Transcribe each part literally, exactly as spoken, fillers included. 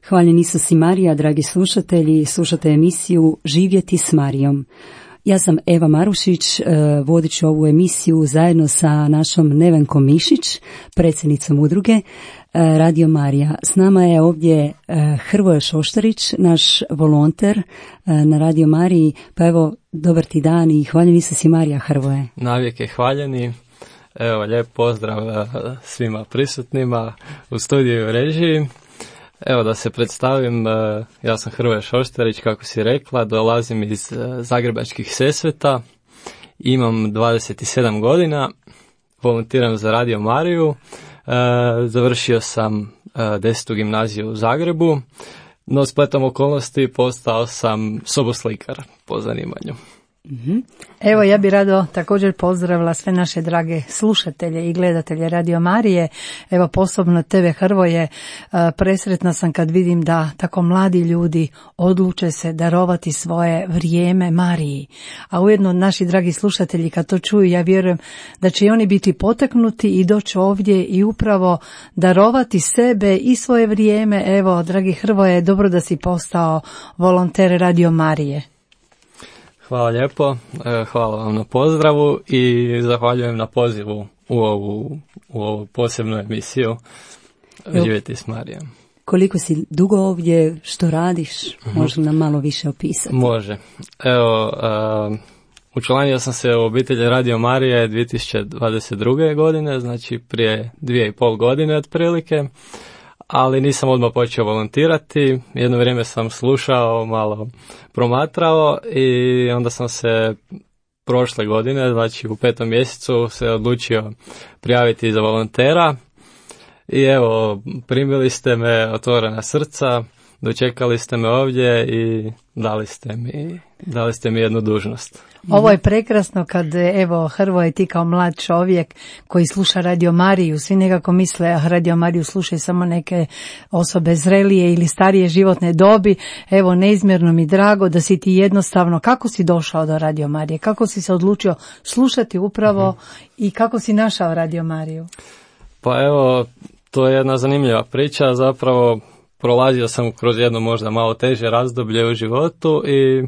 Hvaljen Isus i Marija, dragi slušatelji, slušate emisiju Živjeti s Marijom. Ja sam Eva Marušić, vodit ću ovu emisiju zajedno sa našom Nevenkom Mišić, predsjednicom udruge Radio Marija. S nama je ovdje Hrvoje Šoštarić, naš volonter na Radio Mariji. Pa evo, dobar ti dan i hvaljen Isus i Marija, Hrvoje. Navijek je hvaljeni. Evo, lijep pozdrav svima prisutnima u studiju i režiji. Evo da se predstavim, ja sam Hrvoje Šoštarić, kako si rekla, dolazim iz Zagrebačkih Sesveta, imam dvadeset sedam godina, volontiram za Radio Mariju, završio sam desetu gimnaziju u Zagrebu, no spletom okolnosti postao sam soboslikar po zanimanju. Mm-hmm. Evo, ja bih rado također pozdravila sve naše drage slušatelje i gledatelje Radio Marije. Evo, posebno tebe, Hrvoje, presretna sam kad vidim da tako mladi ljudi odluče se darovati svoje vrijeme Mariji. A ujedno naši dragi slušatelji kad to čuju, ja vjerujem da će i oni biti potaknuti i doći ovdje i upravo darovati sebe i svoje vrijeme. Evo, dragi Hrvoje, dobro da si postao volonter Radio Marije. Hvala lijepo, hvala vam na pozdravu i zahvaljujem na pozivu u ovu, u ovu posebnu emisiju Živjeti s Marijom. Koliko si dugo ovdje, što radiš, uh-huh. može nam malo više opisati? Može. Evo, uh, učlanio sam se u obitelji Radio Marije dvije tisuće dvadeset druge. godine, znači prije dvije i pol godine otprilike. Ali nisam odmah počeo volontirati, jedno vrijeme sam slušao, malo promatrao i onda sam se prošle godine, znači u petom mjesecu, se odlučio prijaviti za volontera i evo, primili ste me otvorena srca, dočekali ste me ovdje i dali ste mi, dali ste mi jednu dužnost. Ovo je prekrasno kad, evo, Hrvoje, ti kao mlad čovjek koji sluša Radio Mariju, svi nekako misle, a Radio Mariju slušaju samo neke osobe zrelije ili starije životne dobi. Evo, neizmjerno mi drago da si ti jednostavno, kako si došao do Radio Marije, kako si se odlučio slušati upravo mm-hmm. i kako si našao Radio Mariju? Pa evo, to je jedna zanimljiva priča, zapravo prolazio sam kroz jedno možda malo teže razdoblje u životu i,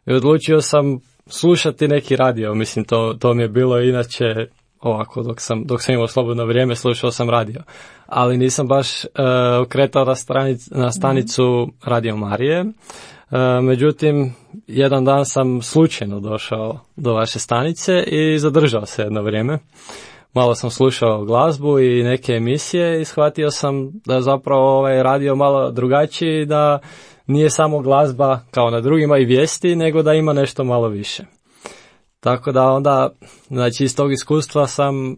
i odlučio sam slušati neki radio, mislim to, to mi je bilo inače ovako dok sam, dok sam imao slobodno vrijeme slušao sam radio, ali nisam baš uh, okretao na, stranic, na stanicu Radio Marije, uh, međutim jedan dan sam slučajno došao do vaše stanice i zadržao se jedno vrijeme. Malo sam slušao glazbu i neke emisije i shvatio sam da zapravo ovaj radio malo drugačiji, da nije samo glazba kao na drugima i vijesti, nego da ima nešto malo više. Tako da onda, znači iz tog iskustva sam e,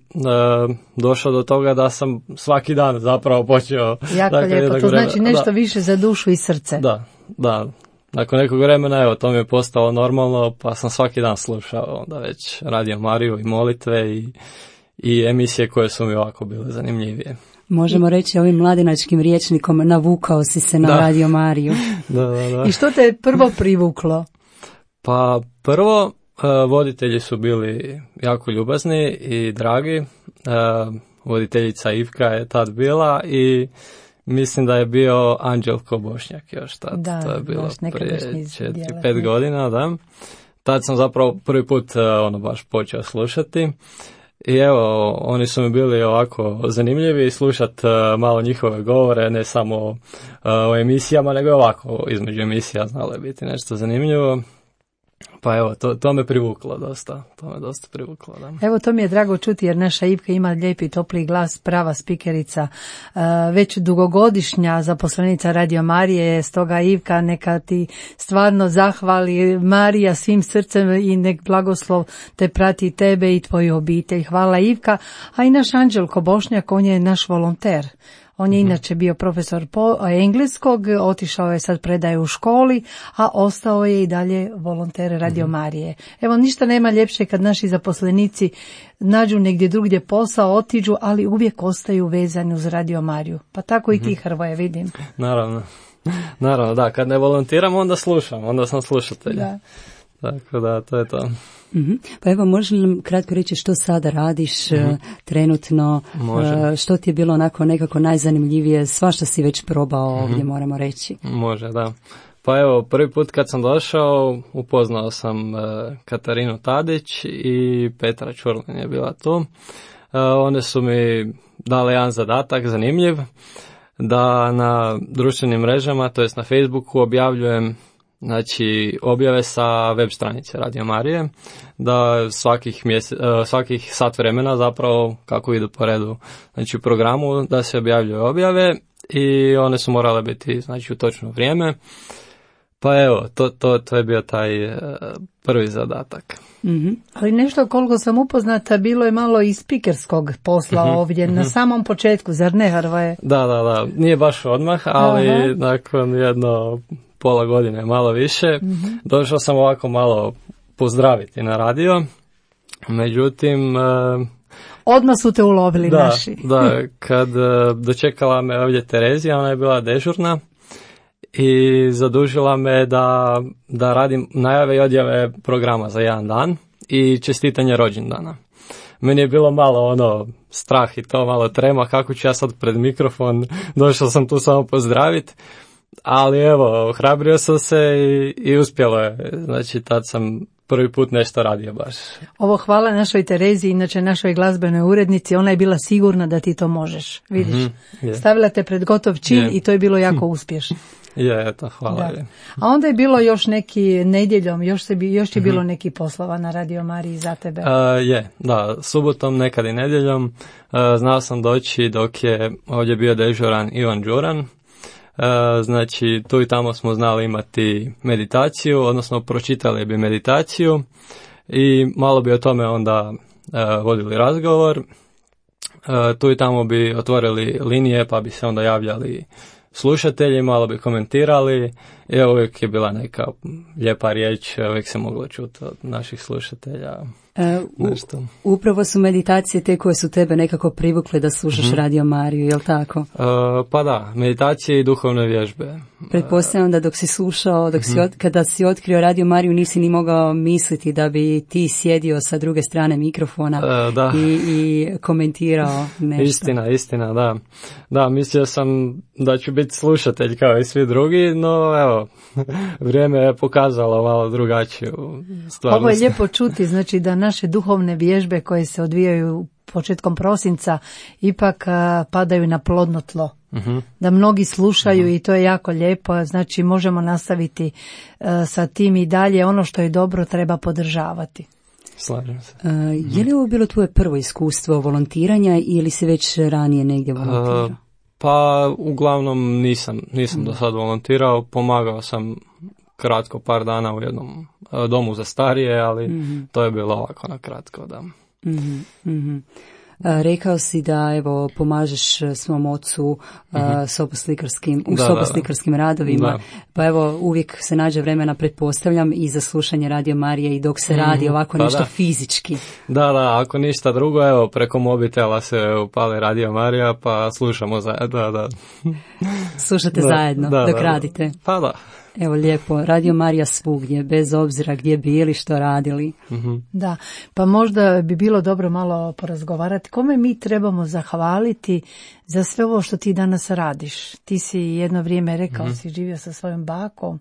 došao do toga da sam svaki dan zapravo počeo. Jako dakle, lijepo, to vremena, znači nešto da, više za dušu i srce. Da, da. Nakon nekog vremena, evo, to mi je postalo normalno, pa sam svaki dan slušao onda već Radio Mariju i molitve i, i emisije koje su mi ovako bile zanimljivije. Možemo reći ovim mladinačkim rječnikom, navukao si se na da. Radio Mariju. da, da, da. I što te je prvo privuklo? Pa prvo, uh, voditelji su bili jako ljubazni i dragi. Uh, voditeljica Ivka je tad bila i mislim da je bio Anđelko Bošnjak još tad. Da, to je bilo prije četiri, dijela, pet godina, da. Tad sam zapravo prvi put uh, ono baš počeo slušati. I evo, oni su mi bili ovako zanimljivi slušati uh, malo njihove govore, ne samo uh, o emisijama, nego ovako između emisija znalo je biti nešto zanimljivo. Pa evo, to, to me privuklo dosta, to me dosta privuklo, da. Evo, to mi je drago čuti jer naša Ivka ima lijepi topli glas, prava spikerica, uh, već dugogodišnja zaposlenica Radio Marije, stoga Ivka neka ti stvarno zahvali Marija svim srcem i nek blagoslov te prati tebe i tvoju obitelj. Hvala Ivka, a i naš Anđelko Bošnjak, on je naš volonter. On je inače bio profesor po engleskog, otišao je sad predaje u školi, a ostao je i dalje volonter Radio Marije. Evo, ništa nema ljepše kad naši zaposlenici nađu negdje drugdje posao, otiđu, ali uvijek ostaju vezani uz Radio Mariju. Pa tako i ti, Hrvoje, vidim. Naravno, naravno, da, kad ne volontiram, onda slušam, onda sam slušatelj. Da. Tako da, to je to. Mm-hmm. Pa evo, možeš li nam kratko reći što sada radiš mm-hmm. uh, trenutno, uh, što ti je bilo onako nekako najzanimljivije, svašta si već probao mm-hmm. ovdje, moramo reći. Može, da. Pa evo, prvi put kad sam došao, upoznao sam uh, Katarinu Tadić i Petra Čurlin je bila tu. Uh, one su mi dale jedan zadatak zanimljiv, da na društvenim mrežama, to jest na Facebooku, objavljujem znači objave sa web stranice Radio Marije, da svakih, mjesec, svakih sat vremena zapravo kako idu po redu znači u programu da se objavljuju objave i one su morale biti znači u točno vrijeme. Pa evo, to, to, to je bio taj uh, prvi zadatak. Mm-hmm. Ali nešto koliko sam upoznata bilo je malo i spikerskog posla mm-hmm. ovdje mm-hmm. na samom početku, zar ne, Hrvoje? Da, da, da, nije baš odmah, ali Aha. nakon jedno pola godine, malo više, mm-hmm. došao sam ovako malo pozdraviti na radio. Međutim, odmah su te ulovili da, naši. Da, kad dočekala me ovdje Terezija, ona je bila dežurna i zadužila me da, da radim najave i odjave programa za jedan dan i čestitanje rođendana. Meni je bilo malo ono strah i to, malo trema, kako ću ja sad pred mikrofon, došao sam tu samo pozdraviti, ali evo, ohrabrio sam se i, i uspjelo je, znači tad sam prvi put nešto radio baš. Ovo hvala našoj Terezi, inače našoj glazbenoj urednici, ona je bila sigurna da ti to možeš, vidiš. Mm-hmm, yeah. Stavila te pred gotov čin yeah. i to je bilo jako uspješno. Je, eto, hvala. Da. A onda je bilo još neki nedjeljom, još, se bi, još je bilo neki poslova na Radio Mariji za tebe. Uh, je, da, subotom, nekad i nedjeljom. Uh, znao sam doći dok je ovdje bio dežuran Ivan Đuran. Uh, znači, tu i tamo smo znali imati meditaciju, odnosno pročitali bi meditaciju i malo bi o tome onda uh, vodili razgovor. Uh, tu i tamo bi otvorili linije pa bi se onda javljali slušatelji, malo bi komentirali i uvijek je bila neka lijepa riječ, uvijek se moglo čuti od naših slušatelja. E, u, upravo su meditacije te koje su tebe nekako privukle da slušaš mm-hmm. Radio Mariju, je li tako? E, pa da, meditacije i duhovne vježbe. Pretpostavljam da dok si slušao, dok mm-hmm. si od, kada si otkrio Radio Mariju nisi ni mogao misliti da bi ti sjedio sa druge strane mikrofona e, da. i, i komentirao nešto. Istina, istina, da. Da, mislio sam da ću biti slušatelj kao i svi drugi, no evo, vrijeme je pokazalo malo drugačiju stvarnost. Ovo je lijepo čuti, znači da naše duhovne vježbe koje se odvijaju početkom prosinca ipak a, padaju na plodno tlo. Uh-huh. Da mnogi slušaju uh-huh. i to je jako lijepo, znači možemo nastaviti a, sa tim i dalje. Ono što je dobro treba podržavati. Slažem se. Uh, je li ovo bilo tvoje prvo iskustvo volontiranja ili si već ranije negdje volontirao? Uh, pa uglavnom nisam, nisam uh-huh. do sad volontirao, pomagao sam kratko par dana u jednom uh, domu za starije, ali mm-hmm. to je bilo ovako na kratko, da. Mm-hmm. Mm-hmm. A, rekao si da evo pomažeš svom ocu mm-hmm. soboslikarskim, u da, soboslikarskim da, radovima, da. Pa evo uvijek se nađe vremena, pretpostavljam, i za slušanje Radio Marije i dok se mm-hmm. radi ovako pa nešto da. Fizički. Da, da, ako ništa drugo, evo preko mobitela se upali Radio Marija pa slušamo zajedno, da, da. Slušate da, zajedno da, dok da, radite. Pa da. Evo lijepo, Radio Marija svugdje, bez obzira gdje bili, što radili. Mm-hmm. Da, pa možda bi bilo dobro malo porazgovarati. Kome mi trebamo zahvaliti za sve ovo što ti danas radiš? Ti si jedno vrijeme rekao, mm-hmm. si živio sa svojom bakom.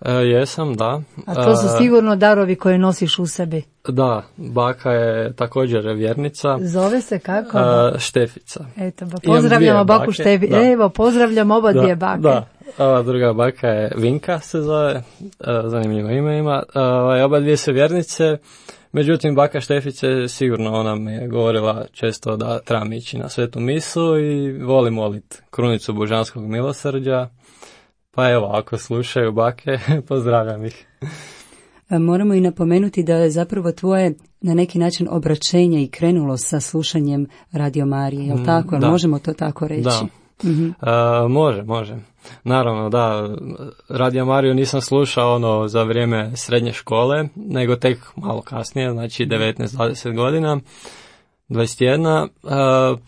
E, jesam, da. A to su sigurno darovi koje nosiš u sebi. Da, baka je također vjernica. Zove se kako? E, Štefica. Eto, ba, pozdravljamo baku Šteficu. Evo, pozdravljam oba da, dvije bake. Da. Ova druga baka je Vinka se zove, zanimljivo ime ima. Oba dvije su vjernice, međutim baka Štefice sigurno ona mi je govorila često da trebam ići na svetu misu i volim moliti krunicu božanskog milosrđa. Pa evo, ako slušaju bake, pozdravljam ih. Moramo i napomenuti da je zapravo tvoje na neki način obraćenje i krenulo sa slušanjem Radio Marije, je li tako? Da. Možemo to tako reći? Da. Mm-hmm. Uh, može, može. Naravno, da, Radio Mariju nisam slušao ono za vrijeme srednje škole, nego tek malo kasnije, znači devetnaest dvadeset godina, dvadeset jedna, uh,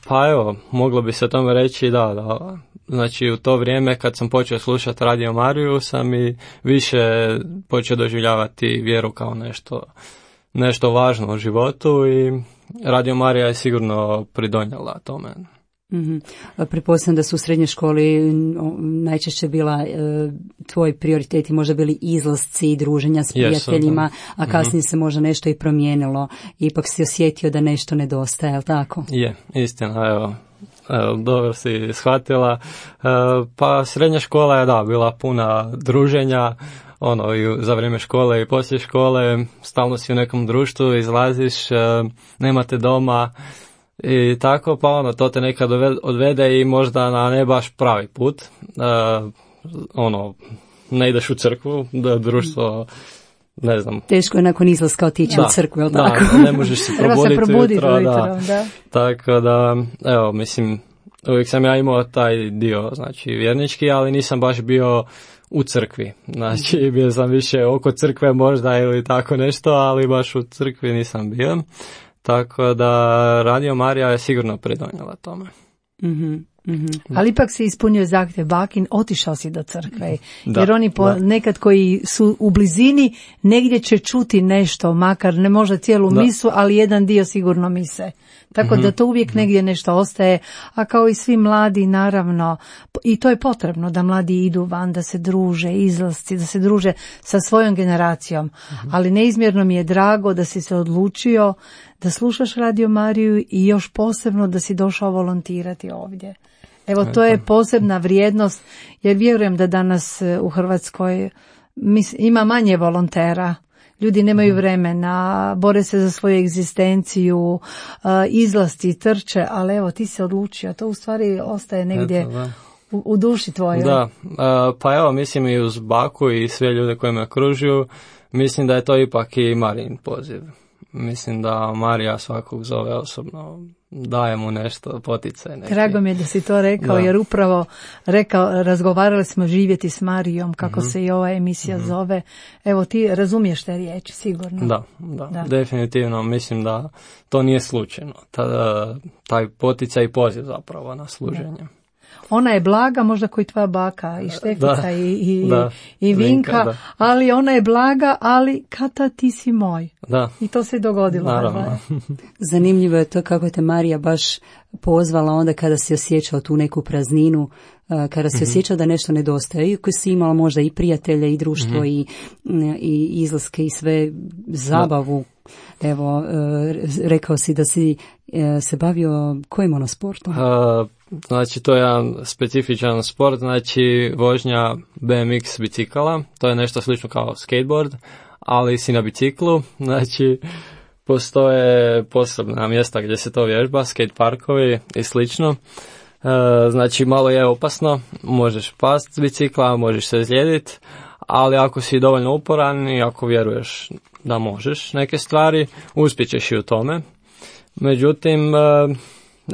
pa evo, moglo bi se tome reći da, da, znači u to vrijeme kad sam počeo slušati Radio Mariju sam i više počeo doživljavati vjeru kao nešto, nešto važno u životu i Radio Marija je sigurno pridonijela tome. Mm-hmm. Pretpostavljam da su u srednjoj školi najčešće bila e, tvoji prioriteti možda bili izlasci i druženja s prijateljima, yes, a kasnije mm-hmm. se možda nešto i promijenilo. Ipak si osjetio da nešto nedostaje, je li tako? Je, istina, evo. Evo, dobro si shvatila. E, pa srednja škola je da bila puna druženja, ono i za vrijeme škole i poslije škole, stalno si u nekom društvu, izlaziš, e, nemate doma. I tako, pa ono, to te nekad odvede i možda na ne baš pravi put. Uh, ono, ne ideš u crkvu, da društvo, ne znam. Teško je nakon izlaska otići da, u crkvu, je li da, tako? Da, ne možeš se probuditi probuditi ujutro, ujutro, da. da. Tako da, evo, mislim, uvijek sam ja imao taj dio, znači, vjernički, ali nisam baš bio u crkvi. Znači, bio sam više oko crkve možda ili tako nešto, ali baš u crkvi nisam bio. Tako da Radio Marija je sigurno pridonijela tome. Mm-hmm. Mm-hmm. Ali ipak si ispunio zahtjev bakin, otišao si do crkve, da, jer oni po, nekad koji su u blizini negdje će čuti nešto, makar ne možda cijelu da. misu, ali jedan dio sigurno mise. Tako mm-hmm. da to uvijek negdje nešto ostaje, a kao i svi mladi naravno, i to je potrebno da mladi idu van, da se druže, izlasci, da se druže sa svojom generacijom, mm-hmm. ali neizmjerno mi je drago da si se odlučio da slušaš Radio Mariju i još posebno da si došao volontirati ovdje. Evo, to je posebna vrijednost, jer vjerujem da danas u Hrvatskoj ima manje volontera. Ljudi nemaju vremena, bore se za svoju egzistenciju, izlasti, trče, ali evo, ti se odlučio. To u stvari ostaje negdje Eto, u, u duši tvojoj. Da, pa evo, mislim i uz baku i sve ljude koji me okružuju, mislim da je to ipak i Marijin poziv. Mislim da Marija svakog zove osobno, daje mu nešto, poticaj neki. Drago mi je da si to rekao, da. jer upravo rekao, razgovarali smo živjeti s Marijom, kako mm-hmm. se i ova emisija mm-hmm. zove. Evo, ti razumiješ te riječi, sigurno. Da, da, da, definitivno. Mislim da to nije slučajno. Ta, taj poticaj i poziv zapravo na služenje. Da. Ona je blaga, možda koji tvoja baka i Štefica da, i, i, da, i Vinka, Vinka ali ona je blaga, ali Kata, ti si moj. Da. I to se dogodilo. Naravno. Zanimljivo je to kako te Marija baš pozvala onda kada si osjećao tu neku prazninu, kada si mm-hmm. osjećao da nešto nedostaje. Iako si imala možda i prijatelje i društvo mm-hmm. i, i izlaske i sve zabavu. Da. Evo, rekao si da si se bavio kojim ono sportom? Uh, znači, to je jedan specifičan sport, znači vožnja B M X bicikala. To je nešto slično kao skateboard, ali si na biciklu. Znači, postoje posebna mjesta gdje se to vježba, skate parkovi i slično. Uh, znači, malo je opasno, možeš past s bicikla, možeš se izlijediti, ali ako si dovoljno uporan i ako vjeruješ da možeš neke stvari, uspjećeš i u tome. Međutim,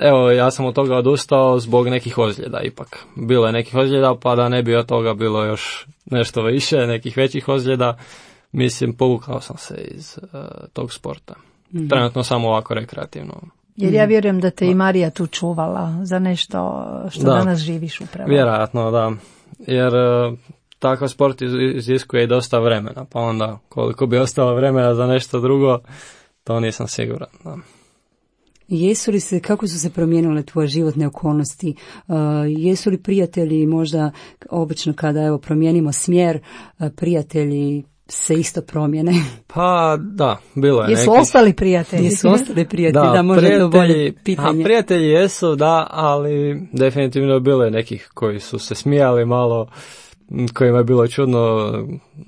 evo, ja sam od toga odustao zbog nekih ozljeda ipak. Bilo je nekih ozljeda, pa da ne bi od toga bilo još nešto više, nekih većih ozljeda, mislim, povukao sam se iz uh, tog sporta. Mm-hmm. Trenutno samo ovako rekreativno. Jer ja vjerujem da te i Marija tu čuvala za nešto što da. danas živiš upravo. Vjerojatno, da. Jer uh, takav sport iziskuje i dosta vremena, pa onda koliko bi ostalo vremena za nešto drugo, to nisam siguran. Da. Jesu li se, kako su se promijenile tvoje životne okolnosti? Uh, jesu li prijatelji možda, obično kada evo promijenimo smjer, uh, prijatelji se isto promijene? Pa da, bilo je jesu neki. ostali prijatelji? Jesu ostali prijatelji, da, da možda to bolje pitanje. A prijatelji jesu, da, ali definitivno bilo je nekih koji su se smijali malo, kojima je bilo čudno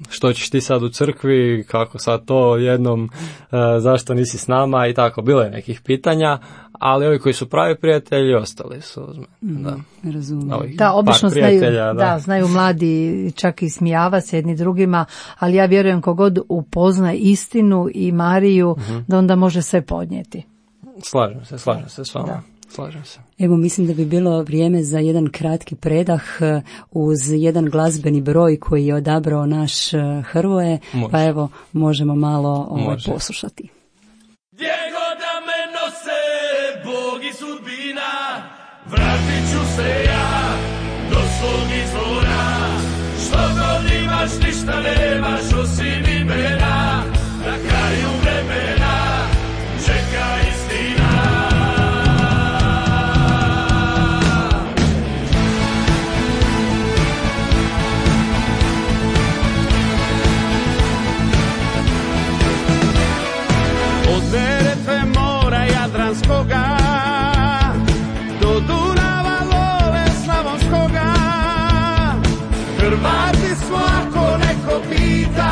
što ćeš ti sad u crkvi, kako sad to jednom, uh, zašto nisi s nama i tako. Bilo je nekih pitanja, ali ovi koji su pravi prijatelji ostali su uz mene. Mm, da, razumijem. Da, obično znaju, da. da, znaju mladi čak i smijava se jedni drugima, ali ja vjerujem kogod upozna istinu i Mariju, mm-hmm. da onda može sve podnijeti. Slažem se, slažem se s vama. Da. Slažem se. Evo, mislim da bi bilo vrijeme za jedan kratki predah uz jedan glazbeni broj koji je odabrao naš Hrvoje, Može. pa evo, možemo malo ovaj, poslušati. Gdje god da me nose Bog i sudbina, vratit ću se ja do svog izvora. Što god imaš, ništa nemaš osim imena, na kraju vremena čeka istina. Jadranskoga do Dunava love slavonskoga, Hrvati smo ako neko pita.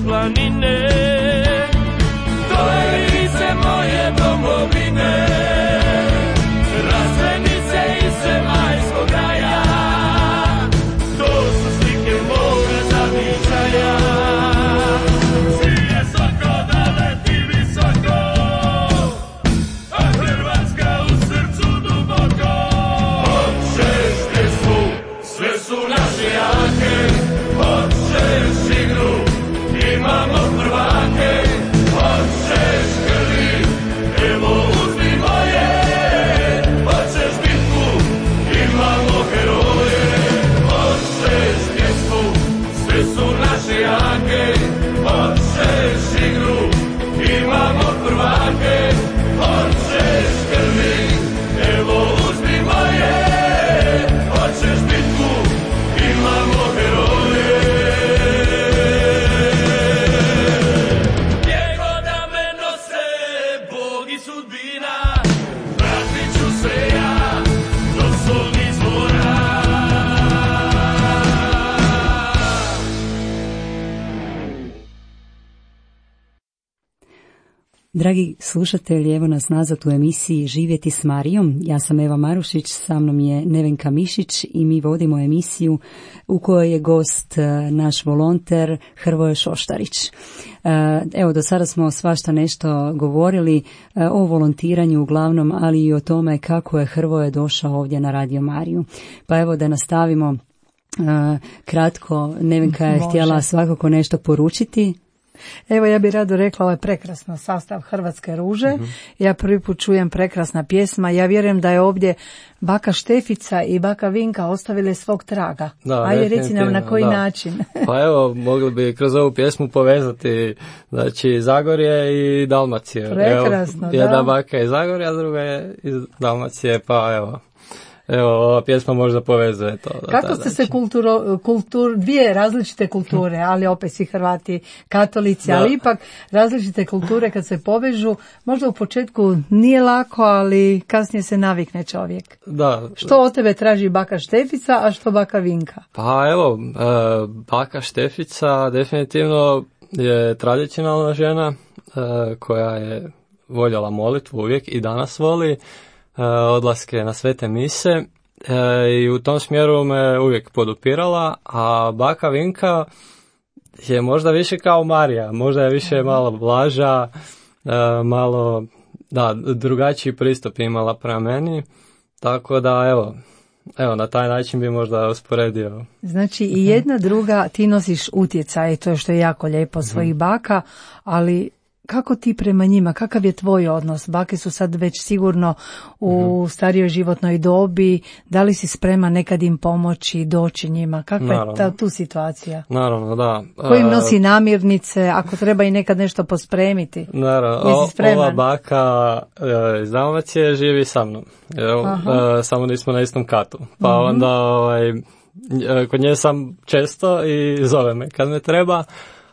planine, to je lice moje domovine, razvenice i zemaljskog raja, to su slike moga zavičaja. Sije soko da leti visoko, a Hrvatska u srcu duboko. Hoćeš pjesmu, sve su naše jake, hoćeš igru, imamo prvake, hoćeš krvi, evo uzmi moje, hoćeš bitku, imamo heroje, hoćeš pjesmu, sve su naše jake, hoćeš igru, imamo prvake, hoćeš krvi, evo uzmi moje, hoćeš bitku, imamo heroje. Gdje god da me nose Bog i sudbina, vratit ću se ja do svog izvora. Dragi slušatelji, evo nas nazad u emisiji Živjeti s Marijom. Ja sam Eva Marušić, sa mnom je Nevenka Mišić i mi vodimo emisiju u kojoj je gost e, naš volonter Hrvoje Šoštarić. E, evo, do sada smo svašta nešto govorili e, o volontiranju uglavnom, ali i o tome kako je Hrvoje došao ovdje na Radio Mariju. Pa evo da nastavimo e, kratko. Nevenka je Može. htjela svakako nešto poručiti. Evo, ja bih rado rekla, ovo je prekrasno sastav Hrvatske ruže. Uh-huh. Ja prvi put čujem prekrasna pjesma. Ja vjerujem da je ovdje baka Štefica i baka Vinka ostavile svog traga. Da, ajde, reci nam na koji da. način. Pa evo, mogli bi kroz ovu pjesmu povezati, znači, Zagorje i Dalmacije. Prekrasno, evo, jedna da. baka je iz Zagorja, druga je iz Dalmacije, pa evo. Evo, ova pjesma možda povezuje to. Kako ste se kulturo, kultur, dvije različite kulture, ali opet svi Hrvati, katolici, Da. ali ipak različite kulture kad se povežu, možda u početku nije lako, ali kasnije se navikne čovjek. Da. Što od tebe traži baka Štefica, a što baka Vinka? Pa evo, e, baka Štefica definitivno je tradicionalna žena e, koja je voljela molitvu uvijek i danas voli, e, odlaske na svete mise e, i u tom smjeru me uvijek podupirala, a baka Vinka je možda više kao Marija, možda je više malo blaža, e, malo da, drugačiji pristup imala prema meni, tako da evo, Evo, na taj način bi možda usporedio. Znači i jedna druga, ti nosiš utjecaj, to je što je jako lijepo svojih baka, ali kako ti prema njima, kakav je tvoj odnos? Bake su sad već sigurno u starijoj životnoj dobi, da li si spreman nekad im pomoći, doći njima? Kakva Naravno. je ta, tu situacija? Naravno, da. Ko im nosi namirnice, ako treba i nekad nešto pospremiti? Naravno, Jesi spreman? ova baka e, iz Dalmacije živi sa mnom. Evo, e, samo nismo na istom katu. Pa Mhm. onda ovaj, e, kod nje sam često i zove me kad me treba,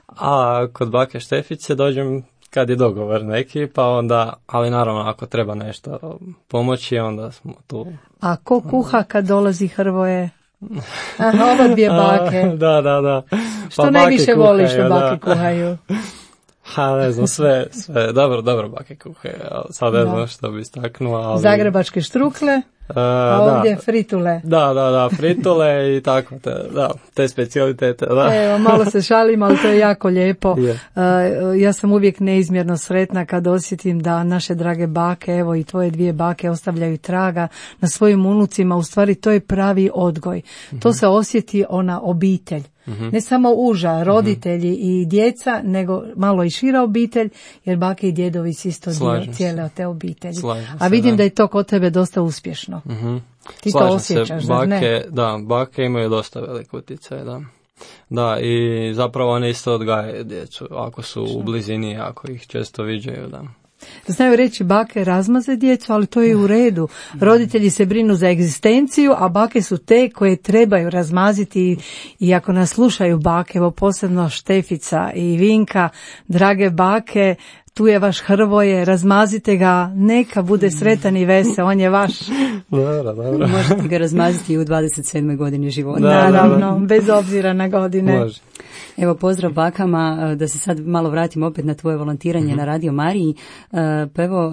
a kod bake Štefice dođem kad je dogovor neki, pa onda, ali naravno ako treba nešto pomoći, onda smo tu. A ko kuha kad dolazi Hrvoje? Aha, ova dvije bake. A, da, da, da. Što Pa najviše bake voliš što kuhaju, bake da. kuhaju? Ha, ne znam, sve, sve, dobro, dobro bake kuhaju, sad ne Da. znam što bi istaknuo, ali... Zagrebačke štrukle, Uh, a ovdje da. fritule. Da, da, da, fritule i tako, te, da, te specijalitete, da. Evo, malo se šalim, ali to je jako lijepo. Je. Uh, ja sam uvijek neizmjerno sretna kad osjetim da naše drage bake, evo i tvoje dvije bake ostavljaju traga na svojim unucima, u stvari to je pravi odgoj. Mm-hmm. To se osjeti ona obitelj. Mm-hmm. Ne samo uža, roditelji mm-hmm. i djeca, nego malo i šira obitelj, jer bake i djedovi su isto dio cijele te obitelji. Slažem A vidim se, da. da je to kod tebe dosta uspješno. Mm-hmm. Ti Slažem to osjećaš, se, zar bake, ne? Da, bake imaju dosta velik utjecaj, da. Da, i zapravo one isto odgajaju djecu, ako su u blizini, ako ih često viđaju, da. Znaju reći bake razmaze djecu, ali to je u redu. Roditelji se brinu za egzistenciju, a bake su te koje trebaju razmaziti i ako nas slušaju bake, evo posebno Štefica i Vinka, drage bake, tu je vaš Hrvoje, razmazite ga, neka bude sretan i vesel, on je vaš. Dobro, dobro. Možete ga razmaziti i u dvadeset sedmoj godini života. Da, Naravno, bez obzira na godine. Može. Evo, pozdrav bakama, da se sad malo vratim opet na tvoje volontiranje mm-hmm. na Radio Mariji. Pa evo,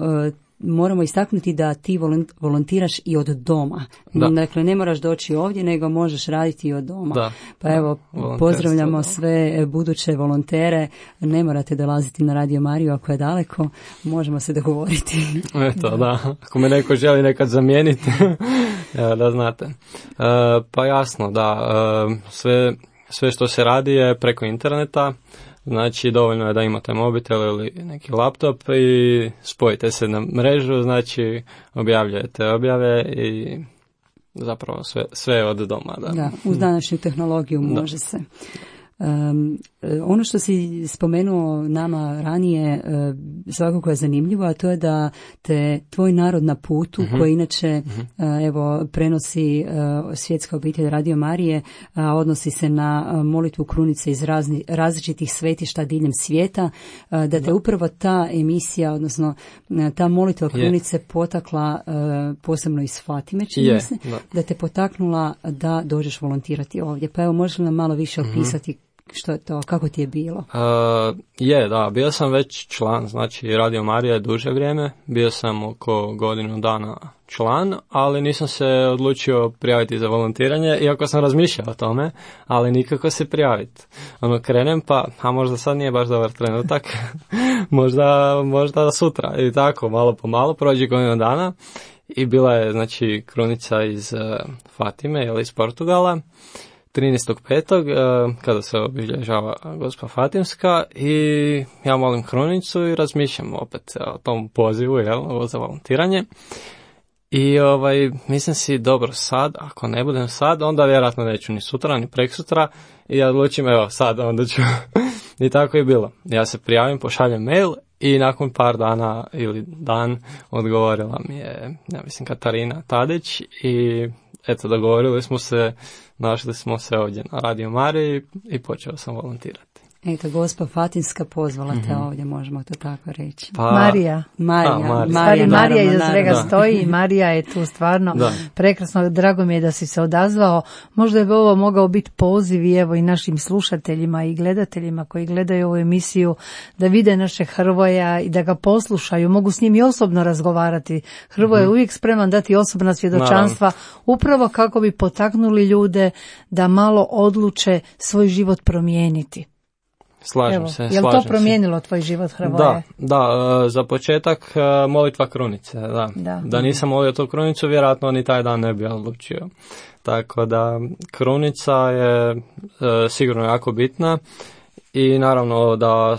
moramo istaknuti da ti volontiraš i od doma. Da. Dakle, ne moraš doći ovdje, nego možeš raditi i od doma. Da. Pa evo, pozdravljamo sve buduće volontere. Ne morate dolaziti na Radio Mariju ako je daleko. Možemo se dogovoriti. Eto, da. Ako me neko želi nekad zamijeniti, da znate. Pa jasno, da. Sve, sve što se radi je preko interneta. Znači, dovoljno je da imate mobitel ili neki laptop i spojite se na mrežu, znači objavljujete objave i zapravo sve, sve od doma. Da, da uz današnju tehnologiju može da. se. Um, ono što si spomenuo nama ranije uh, svakako je zanimljivo, a to je da te tvoj narod na putu, uh-huh. koji inače uh-huh. uh, evo prenosi uh, Svjetska obitelj Radio Marije, a odnosi se na uh, molitvu krunice iz razni, različitih svetišta diljem svijeta, uh, da te da. upravo ta emisija, odnosno uh, ta molitva krunice je. potakla uh, posebno iz Fatime, čini se, da. da te potaknula da dođeš volontirati ovdje. Pa evo, možeš li nam malo više opisati uh-huh. što je to, kako ti je bilo? Uh, je, da, bio sam već član, znači Radio Marija je duže vrijeme, bio sam oko godinu dana član, ali nisam se odlučio prijaviti za volontiranje, iako sam razmišljao o tome, ali nikako se prijaviti. Ono, krenem pa, a možda sad nije baš dobar trenutak, možda, možda sutra i tako, malo po malo, prođe godinu dana i bila je, znači, krunica iz uh, Fatime ili iz Portugala, trinaestog petog kada se obilježava Gospa Fatimska i ja molim krunicu i razmišljam opet o tom pozivu, jel, za volontiranje. I ovaj, mislim si, dobro, sad, ako ne budem sad, onda vjerojatno neću ni sutra, ni preksutra i ja odlučim, evo, sad, onda ću. I tako je bilo. Ja se prijavim, pošaljem mail i nakon par dana ili dan odgovorila mi je, ja mislim, Katarina Tadić i eto, dogovorili smo se, našli smo se ovdje na Radio Mariji i počeo sam volontirati. Eto, Gospa Fatimska pozvala te mm-hmm. ovdje, možemo to tako reći. Pa, Marija. Marija. A, Marija. Marija, Marija iza svega da. stoji i Marija je tu stvarno da. prekrasno. Drago mi je da si se odazvao. Možda bi ovo mogao biti poziv i evo i našim slušateljima i gledateljima koji gledaju ovu emisiju da vide naše Hrvoja i da ga poslušaju. Mogu s njim i osobno razgovarati. Hrvoje je mm-hmm. uvijek spreman dati osobna svjedočanstva Naravno. upravo kako bi potaknuli ljude da malo odluče svoj život promijeniti. Slažem Evo, se. Je li to promijenilo se. tvoj život, Hrvoje? Da, da, za početak molitva krunice. Da, da. da nisam molio tu krunicu, vjerojatno ni taj dan ne bi odlučio. Tako da krunica je sigurno jako bitna i naravno da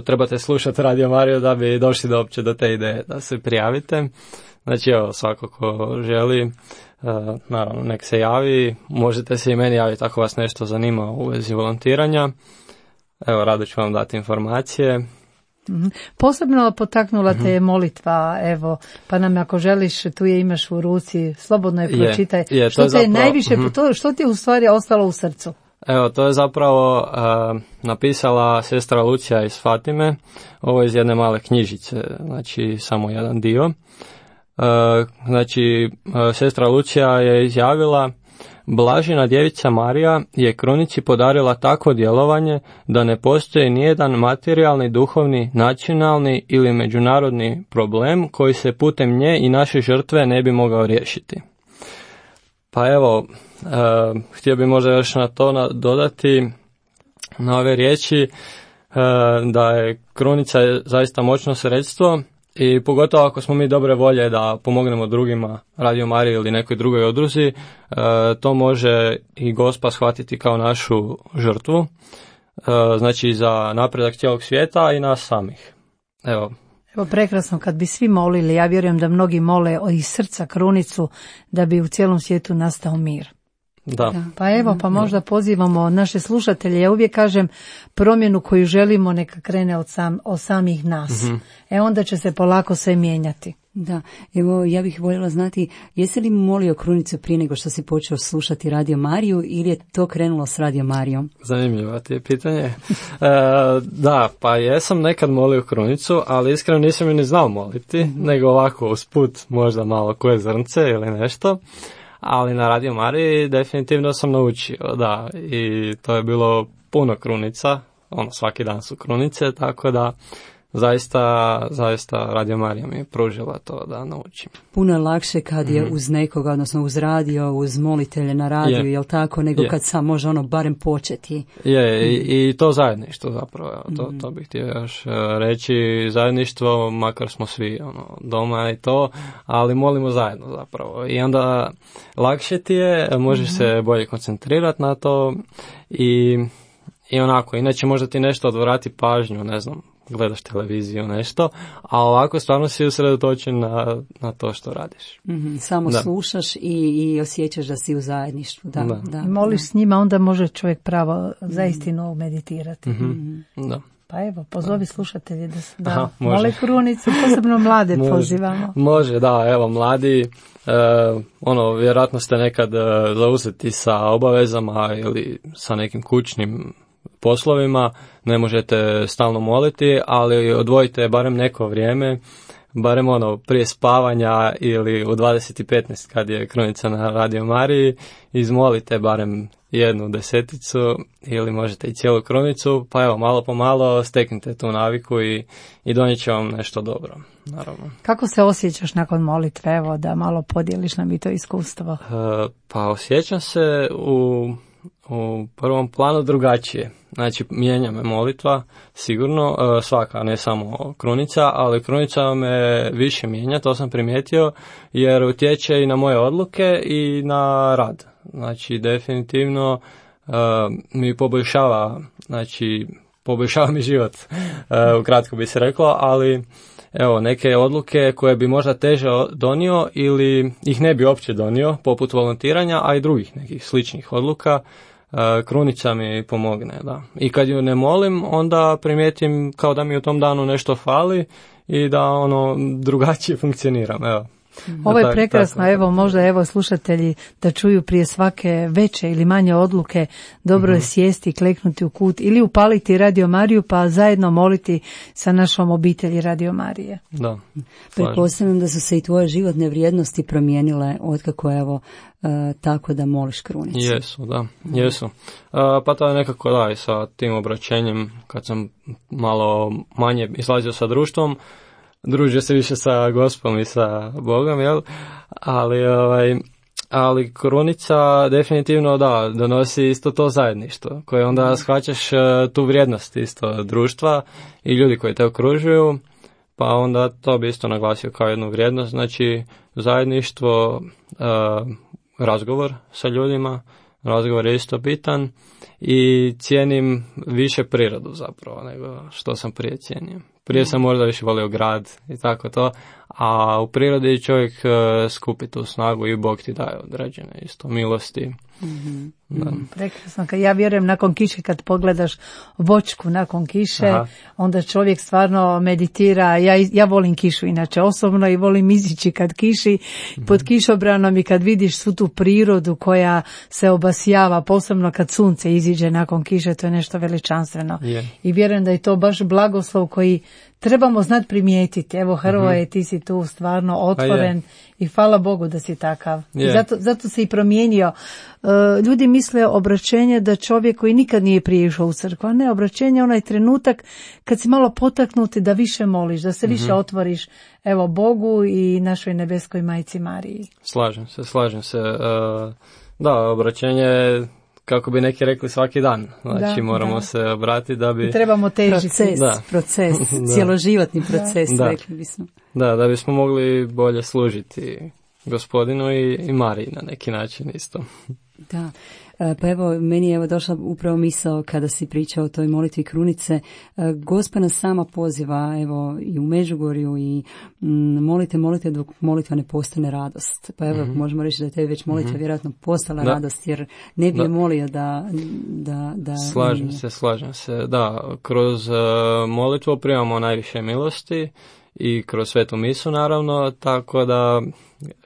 trebate slušati Radio Mariju da bi došli do opće do te ideje da se prijavite. Znači, evo, svako ko želi, naravno, nek se javi. Možete se i meni javiti ako vas nešto zanima u vezi volontiranja. Evo, rado ću vam dati informacije. Mm-hmm. Posebno potaknula te je molitva, evo, pa nam ako želiš, tu je imaš u ruci, slobodno je pročitaj. Je, je, što, te zapravo, je najviše, mm-hmm. to, što ti je u stvari ostalo u srcu? Evo, to je zapravo uh, napisala sestra Lucija iz Fatime, ovo je iz jedne male knjižice, znači samo jedan dio. Uh, znači, uh, sestra Lucija je izjavila: Blažena djevica Marija je krunici podarila takvo djelovanje da ne postoji nijedan materijalni, duhovni, nacionalni ili međunarodni problem koji se putem nje i naše žrtve ne bi mogao riješiti. Pa evo, e, htio bih možda još na to na, dodati na ove riječi e, da je krunica zaista moćno sredstvo. I pogotovo ako smo mi dobre volje da pomognemo drugima, Radio Mariji ili nekoj drugoj udruzi, e, to može i Gospa shvatiti kao našu žrtvu, e, znači za napredak cijelog svijeta i nas samih. Evo. Evo, prekrasno kad bi svi molili, ja vjerujem da mnogi mole iz srca krunicu da bi u cijelom svijetu nastao mir. Da. Da. Pa evo, pa možda pozivamo naše slušatelje, ja uvijek kažem promjenu koju želimo neka krene od, sam, od samih nas. Mm-hmm. E onda će se polako sve mijenjati. Da, evo ja bih voljela znati, jesi li molio krunicu prije nego što si počeo slušati Radio Mariju ili je to krenulo s Radio Marijom? Zanimljivo ti je pitanje. e, da, pa jesam nekad molio krunicu, ali iskreno nisam ju ni znao moliti, mm-hmm. nego ovako usput možda malo koje zrnce ili nešto. Ali na Radio Mariji definitivno sam naučio, da, i to je bilo puno krunica, ono svaki dan su krunice, tako da zaista, zaista Radio Marija mi je pružila to da naučim. Puno je lakše kad je mm-hmm. uz nekoga, odnosno uz radio, uz molitelje na radiju, je. Jel tako, nego je. Kad sam može ono barem početi. Je, mm. i, i to zajedništvo zapravo, to, mm-hmm. to bih htio još reći, zajedništvo, makar smo svi ono, doma i to, ali molimo zajedno zapravo. I onda lakše ti je, možeš mm-hmm. se bolje koncentrirati na to i, i onako, inače možda ti nešto odvrati pažnju, ne znam, gledaš televiziju, nešto, a ovako stvarno si usredotočen na, na to što radiš. Mm-hmm, samo da. Slušaš i, i osjećaš da si u zajedništvu. Da, da. Da, moliš da. S njima, onda može čovjek pravo zaistinu meditirati. Mm-hmm. Da. Pa evo, pozovi slušatelji da, da Aha, mole krunicu, posebno mlade može, pozivamo. Može, da, evo, mladi, e, ono, vjerojatno ste nekad e, zauzeti sa obavezama ili sa nekim kućnim poslovima, ne možete stalno moliti, ali odvojite barem neko vrijeme, barem ono prije spavanja ili u dvadeset petnaest kad je krunica na Radio Mariji, izmolite barem jednu deseticu ili možete i cijelu krunicu, pa evo malo po malo steknite tu naviku i, i donijet će vam nešto dobro, naravno. Kako se osjećaš nakon molitve, evo da malo podijeliš nam i to iskustvo? E, pa osjećam se u u prvom planu drugačije. Znači, mijenja me molitva, sigurno, svaka, ne samo krunica, ali krunica me više mijenja, to sam primijetio, jer utječe i na moje odluke i na rad. Znači, definitivno uh, mi poboljšava, znači, poboljšava mi život, uh, ukratko bi se reklo, ali evo, neke odluke koje bi možda teže donio ili ih ne bi uopće donio, poput volontiranja, a i drugih nekih sličnih odluka, krunica mi pomogne, da. I kad ju ne molim, onda primijetim kao da mi u tom danu nešto fali i da ono drugačije funkcioniram, evo. Ovo je prekrasno, tako, evo možda evo slušatelji da čuju prije svake veće ili manje odluke, dobro je mm-hmm. sjesti, kleknuti u kut ili upaliti Radio Mariju pa zajedno moliti sa našom obitelji Radio Marije. Da. Pretpostavljam da su se i tvoje životne vrijednosti promijenile otkako evo Uh, tako da moliš krunicu. Jesu, da, jesu. Uh, pa to je nekako da i sa tim obraćenjem, kad sam malo manje izlazio sa društvom, družio se više sa Gospom i sa Bogom, jel? Ali, ovaj, ali krunica definitivno da, donosi isto to zajedništvo, koje onda shvaćaš uh, tu vrijednost isto društva i ljudi koji te okružuju, pa onda to bi isto naglasio kao jednu vrijednost, znači zajedništvo, uh, razgovor sa ljudima, razgovor je isto bitan i cijenim više prirodu zapravo nego što sam prije cijenio. Prije sam možda više volio grad i tako to, a u prirodi čovjek uh, skupi tu snagu i Bog ti daje određene isto milosti. Mm-hmm. Da. Prekrasno, ja vjerujem nakon kiše kad pogledaš voćku nakon kiše, aha, onda čovjek stvarno meditira. Ja, ja volim kišu inače osobno i volim izići kad kiši, mm-hmm, pod kišobranom i kad vidiš svu tu prirodu koja se obasjava, posebno kad sunce iziđe nakon kiše, to je nešto veličanstveno. Yeah. I vjerujem da je to baš blagoslov koji trebamo znati primijetiti. Evo Hrvoje, mm-hmm, ti si tu stvarno otvoren i hvala Bogu da si takav. Yeah. I zato, zato se i promijenio. Uh, ljudi misle obraćenje da čovjek koji nikad nije prije išao u crkvu, a ne, obraćenje onaj trenutak kad si malo potaknuti da više moliš, da se mm-hmm više otvoriš evo Bogu i našoj nebeskoj majci Mariji. Slažem se, slažem se. Uh, da, obraćenje, kako bi neki rekli, svaki dan. Znači da, moramo da. se obratiti da bi... I trebamo težiti. Proces, da. proces, cjeloživotni proces, da. rekli bismo. Da, da bismo mogli bolje služiti Gospodinu i, i Mariji na neki način isto. Da, pa evo, meni je evo došla upravo misao kada si pričao o toj molitvi krunice. Gospa nas sama poziva, evo, i u Međugorju i m, molite, molite dok molitva ne postane radost. Pa evo, mm-hmm, možemo reći da je tebi već molitva mm-hmm vjerojatno postala da. radost, jer ne bi da. je molio da... da, da slažem nije. se, slažem se, da, kroz uh, molitvu primamo najviše milosti i kroz svetu misu naravno, tako da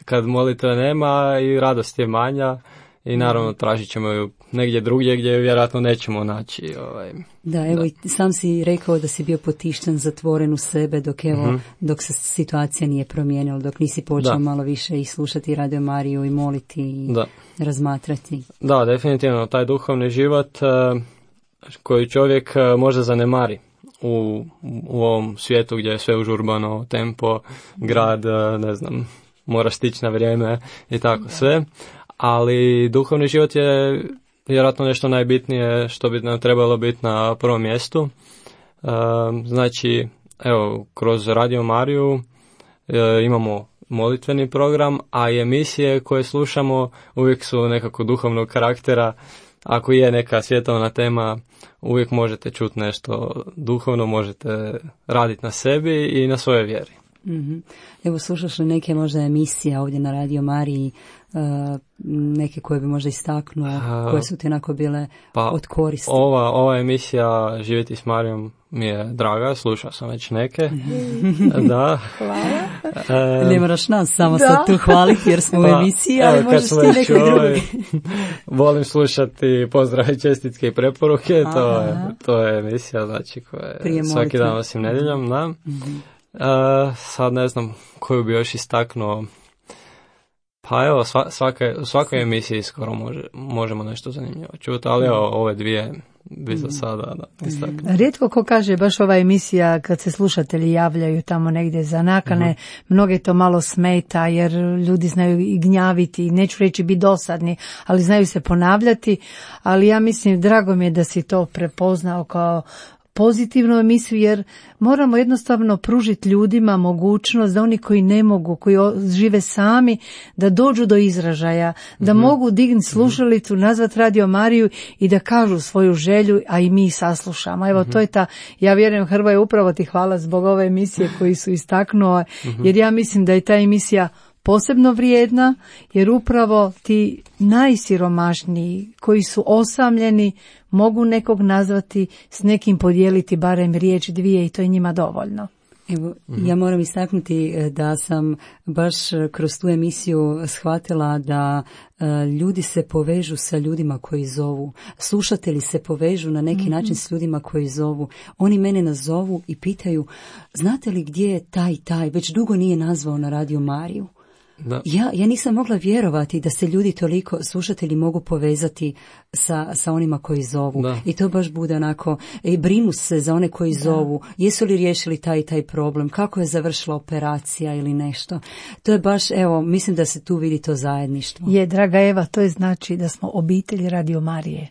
kad molitve nema i radost je manja, i naravno tražit ćemo ju negdje drugdje gdje vjerojatno nećemo naći. Ovaj. Da, evo da. I sam si rekao da si bio potišten, zatvoren u sebe dok evo, mm-hmm, dok se situacija nije promijenila, dok nisi počeo da. malo više i slušati Radio Mariju i moliti i da. razmatrati. Da, definitivno, taj duhovni život uh, koju čovjek možda zanemari u, u ovom svijetu gdje je sve užurbano, tempo, grad, ne znam, mora stići na vrijeme i tako sve. Ali duhovni život je vjerojatno nešto najbitnije što bi nam trebalo biti na prvom mjestu. Znači, evo, kroz Radio Mariju imamo molitveni program, a i emisije koje slušamo uvijek su nekako duhovnog karaktera. Ako je neka svjetovna tema, uvijek možete čuti nešto duhovno, možete raditi na sebi i na svojoj vjeri. Mm-hmm. Evo, slušaš li neke možda emisije ovdje na Radio Mariji, uh, neke koje bi možda istaknuo, uh, koje su ti onako bile pa, od koristi? Ova, ova emisija Živjeti s Marijom mi je draga, slušao sam već neke. Da. Hvala. E, ne moraš nas samo da. sad tu hvaliti jer smo u emisiji, ali evo, možeš ti neki drugi. Volim slušati pozdrave i čestitke i preporuke, to je, to je emisija znači koja je svaki dan osim nedjeljom. Da. Mm-hmm. E, sad ne znam koju bi još istaknuo. Pa evo, sva, svake, u svakoj emisiji skoro može, možemo nešto zanimljivo čuti, ali evo, ove dvije bi za sada da istaknuo. Rijetko ko kaže baš ova emisija kad se slušatelji javljaju tamo negdje za nakane, uh-huh. mnoge to malo smeta jer ljudi znaju i gnjaviti, neću reći biti dosadni, ali znaju se ponavljati, ali ja mislim drago mi je da si to prepoznao kao pozitivnu emisiju jer moramo jednostavno pružiti ljudima mogućnost da oni koji ne mogu, koji žive sami, da dođu do izražaja, da mm-hmm. mogu dignuti slušalicu, nazvat Radio Mariju i da kažu svoju želju, a i mi saslušamo. Evo mm-hmm. to je ta, ja vjerujem Hrvoje, upravo ti hvala zbog ove emisije koji su istaknuo, mm-hmm. jer ja mislim da je ta emisija posebno vrijedna, jer upravo ti najsiromašniji koji su osamljeni mogu nekog nazvati, s nekim podijeliti barem riječ dvije i to je njima dovoljno. Evo, mm-hmm. ja moram istaknuti da sam baš kroz tu emisiju shvatila da uh, ljudi se povežu sa ljudima koji zovu. Slušatelji se povežu na neki mm-hmm. način s ljudima koji zovu. Oni mene nazovu i pitaju, znate li gdje je taj taj, već dugo nije nazvao na Radio Mariju. Da. Ja, ja nisam mogla vjerovati da se ljudi toliko, slušatelji mogu povezati sa, sa onima koji zovu. Da. I to baš bude onako, i brinu se za one koji da. zovu. Jesu li riješili taj taj problem? Kako je završila operacija ili nešto? To je baš, evo, mislim da se tu vidi to zajedništvo. Je, draga Eva, to je znači da smo obitelj Radio Marije.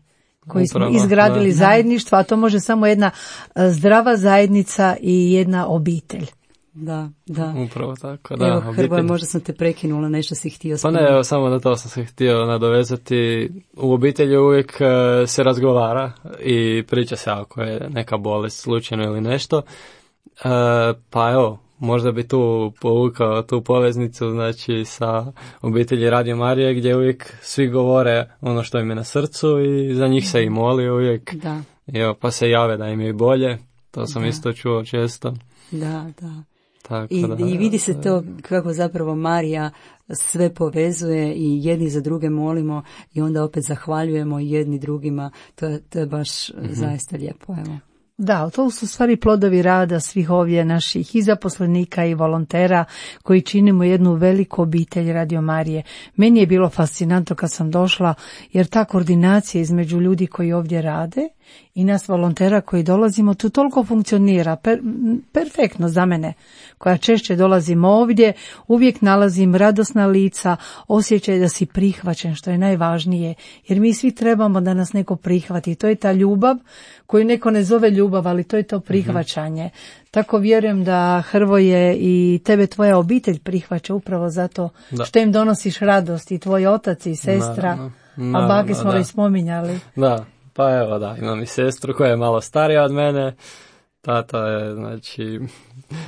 Koji Upravo, smo izgradili da. zajedništvo, a to može samo jedna zdrava zajednica i jedna obitelj. Da, da. Upravo tako, da. Evo, Hrvoje, možda sam te prekinula, nešto si htio spomenuti. Pa ne, evo, samo na to sam se htio nadovezati. U obitelji uvijek uh, se razgovara i priča se ako je neka bolest slučajno ili nešto. Uh, pa evo, možda bi tu povukao tu poveznicu, znači, sa obitelji Radio Marije, gdje uvijek svi govore ono što im je na srcu i za njih se i moli uvijek. Da. Evo, pa se jave da im je bolje. To sam da. isto čuo često. Da, da. Tako, I, da, I vidi se to kako zapravo Marija sve povezuje i jedni za druge molimo i onda opet zahvaljujemo jedni drugima. To je, to je baš mm-hmm. zaista lijepo. Evo. Da, to su stvari plodovi rada svih ovdje naših i zaposlenika i volontera koji činimo jednu veliku obitelj Radio Marije. Meni je bilo fascinantno kad sam došla jer ta koordinacija između ljudi koji ovdje rade i nas volontera koji dolazimo, tu toliko funkcionira, per, perfektno za mene, koja češće dolazim ovdje, uvijek nalazim radosna lica, osjećaj da si prihvaćen, što je najvažnije, jer mi svi trebamo da nas neko prihvati, to je ta ljubav koju neko ne zove ljubav, ali to je to prihvaćanje. Mm-hmm. Tako vjerujem da Hrvoje i tebe tvoja obitelj prihvaća upravo zato da. što im donosiš radost i tvoj otac i sestra, no, no, no, a bake smo već spominjali. Da. Pa evo da, imam i sestru koja je malo starija od mene, tata je znači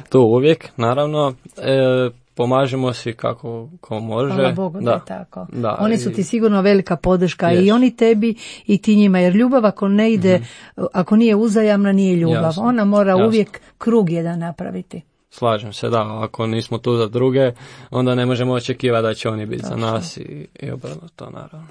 tu uvijek, naravno, e, pomažemo si kako ko može. Hvala Bogu da, da je tako. Da, oni su i, ti sigurno velika podrška jest. i oni tebi i ti njima, jer ljubav ako ne ide, mm-hmm. ako nije uzajamna nije ljubav, jasno, ona mora jasno. uvijek krug jedan napraviti. Slažem se, da, ako nismo tu za druge, onda ne možemo očekivati da će oni biti za nas i, i obrnuto, naravno.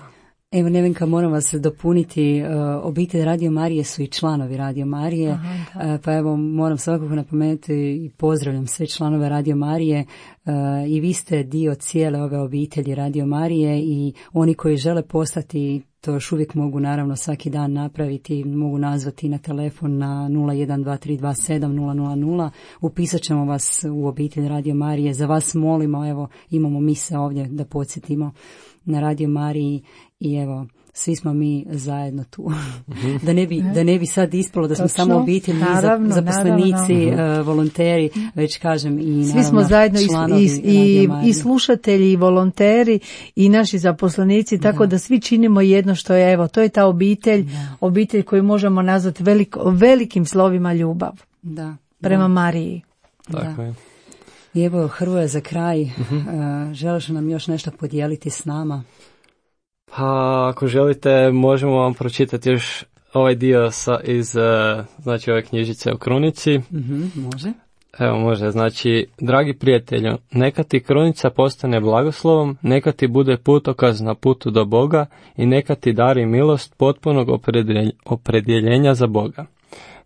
Evo, Nevenka, moram vas dopuniti, uh, obitelj Radio Marije su i članovi Radio Marije, Aha, uh, pa evo moram svakako napomenuti i pozdravljam sve članove Radio Marije uh, i vi ste dio cijele ove obitelji Radio Marije i oni koji žele postati, to još uvijek mogu naravno svaki dan napraviti, mogu nazvati na telefon na nula jedan dva tri dva sedam nula nula nula, upisat ćemo vas u obitelj Radio Marije, za vas molimo, evo imamo mise ovdje da podsjetimo na Radio Mariji i evo, svi smo mi zajedno tu. da, ne bi, da ne bi sad ispalo da smo Točno. samo obitelj, naravno, zaposlenici, naravno. Uh, volonteri, već kažem i naravno svi smo zajedno i, i, i slušatelji i volonteri i naši zaposlenici, tako da. da svi činimo jedno što je, evo, to je ta obitelj, da. obitelj koju možemo nazvati veliko, velikim slovima ljubav da. prema da. Mariji. Tako je. I evo, Hrvoje, za kraj, uh-huh. uh, želiš nam još nešto podijeliti s nama? Pa, ako želite, možemo vam pročitati još ovaj dio sa, iz, uh, znači, ove knjižice o krunici. Uh-huh, može. Evo, može. Znači, dragi prijatelju, neka ti krunica postane blagoslovom, neka ti bude putokaz na putu do Boga i neka ti dari milost potpunog opredjeljenja za Boga.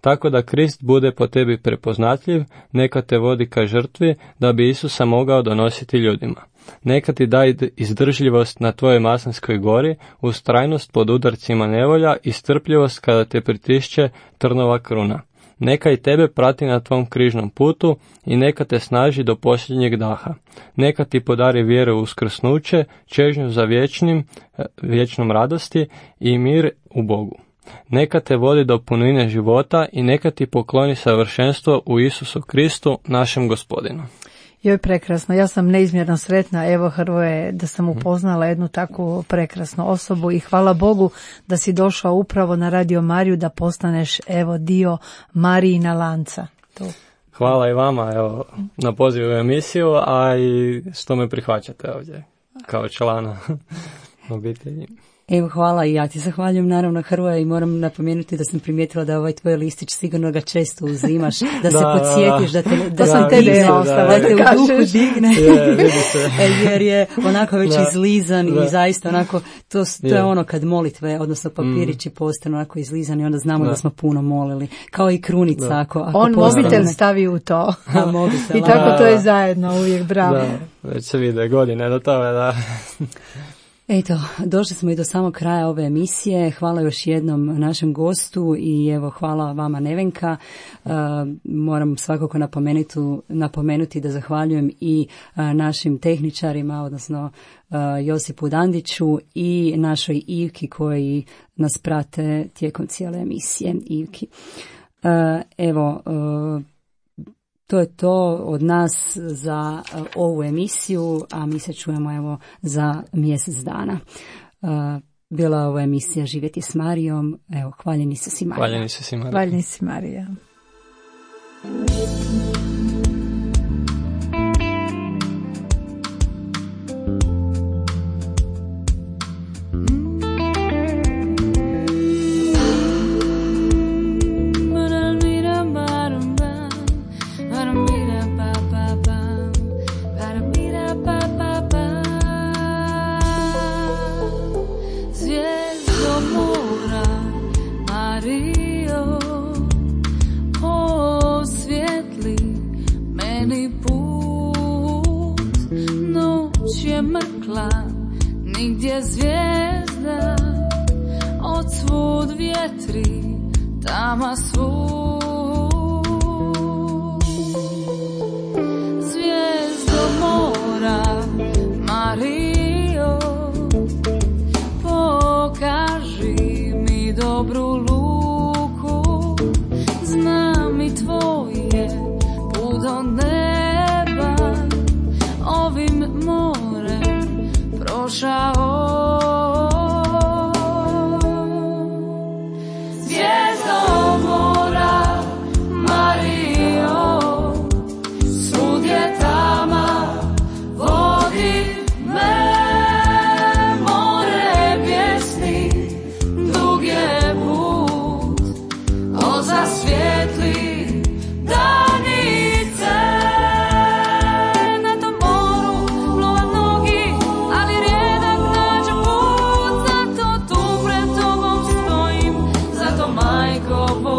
Tako da Krist bude po tebi prepoznatljiv, neka te vodi ka žrtvi, da bi Isusa mogao donositi ljudima. Neka ti daj izdržljivost na tvojoj maslinskoj gori, ustrajnost pod udarcima nevolja i strpljivost kada te pritišće trnova kruna. Neka i tebe prati na tvom križnom putu i neka te snaži do posljednjeg daha. Neka ti podari vjeru u uskrsnuće, čežnju za vječnim, vječnom radosti i mir u Bogu. Neka te vodi do punine života i neka ti pokloni savršenstvo u Isusu Kristu, našem Gospodinu. Joj, prekrasno. Ja sam neizmjerno sretna, evo Hrvoje, da sam upoznala jednu takvu prekrasnu osobu i hvala Bogu da si došao upravo na Radio Mariju da postaneš, evo, dio Marijina lanca. To. Hvala i vama, evo, na pozivu u emisiju, a i što me prihvaćate ovdje kao člana obitelji. Evo, hvala i ja ti zahvaljujem naravno, Hrvoje, i moram napomenuti da sam primijetila da ovaj tvoj listić sigurno ga često uzimaš, da, da se podsjetiš, da, te, da, da sam te digne, da, da, da te u duhu digne, yeah, jer je onako već da. izlizan da. i zaista onako, to, to yeah. je ono kad molitve, odnosno papirići mm. postanu onako izlizani, onda znamo da. da smo puno molili, kao i krunica. Da. Ako, ako on mobitel stavi u to A, mobitel, i tako da. to je zajedno uvijek, bravo. Da. Već se vide godine do toga, da... Eto, došli smo i do samog kraja ove emisije. Hvala još jednom našem gostu i evo hvala vama, Nevenka. Uh, moram svakako napomenuti, napomenuti da zahvaljujem i uh, našim tehničarima, odnosno uh, Josipu Dandiću i našoj Ivki koji nas prate tijekom cijele emisije. Ivki. Uh, evo, uh, to je to od nas za uh, ovu emisiju, a mi se čujemo evo za mjesec dana. Uh, bila je ova emisija Živjeti s Marijom. Evo, hvaljeni se si Marija. Hvaljeni se si Marija. Hvaljeni si Marija. Nigdje zvijezda, od svud vjetri, tama svud. Zvijezdo mora, Marijo, pokaži mi dobru luku, znam i tvoje put do neba, ovim morem prošao. Zvijezdo mora, razgovor.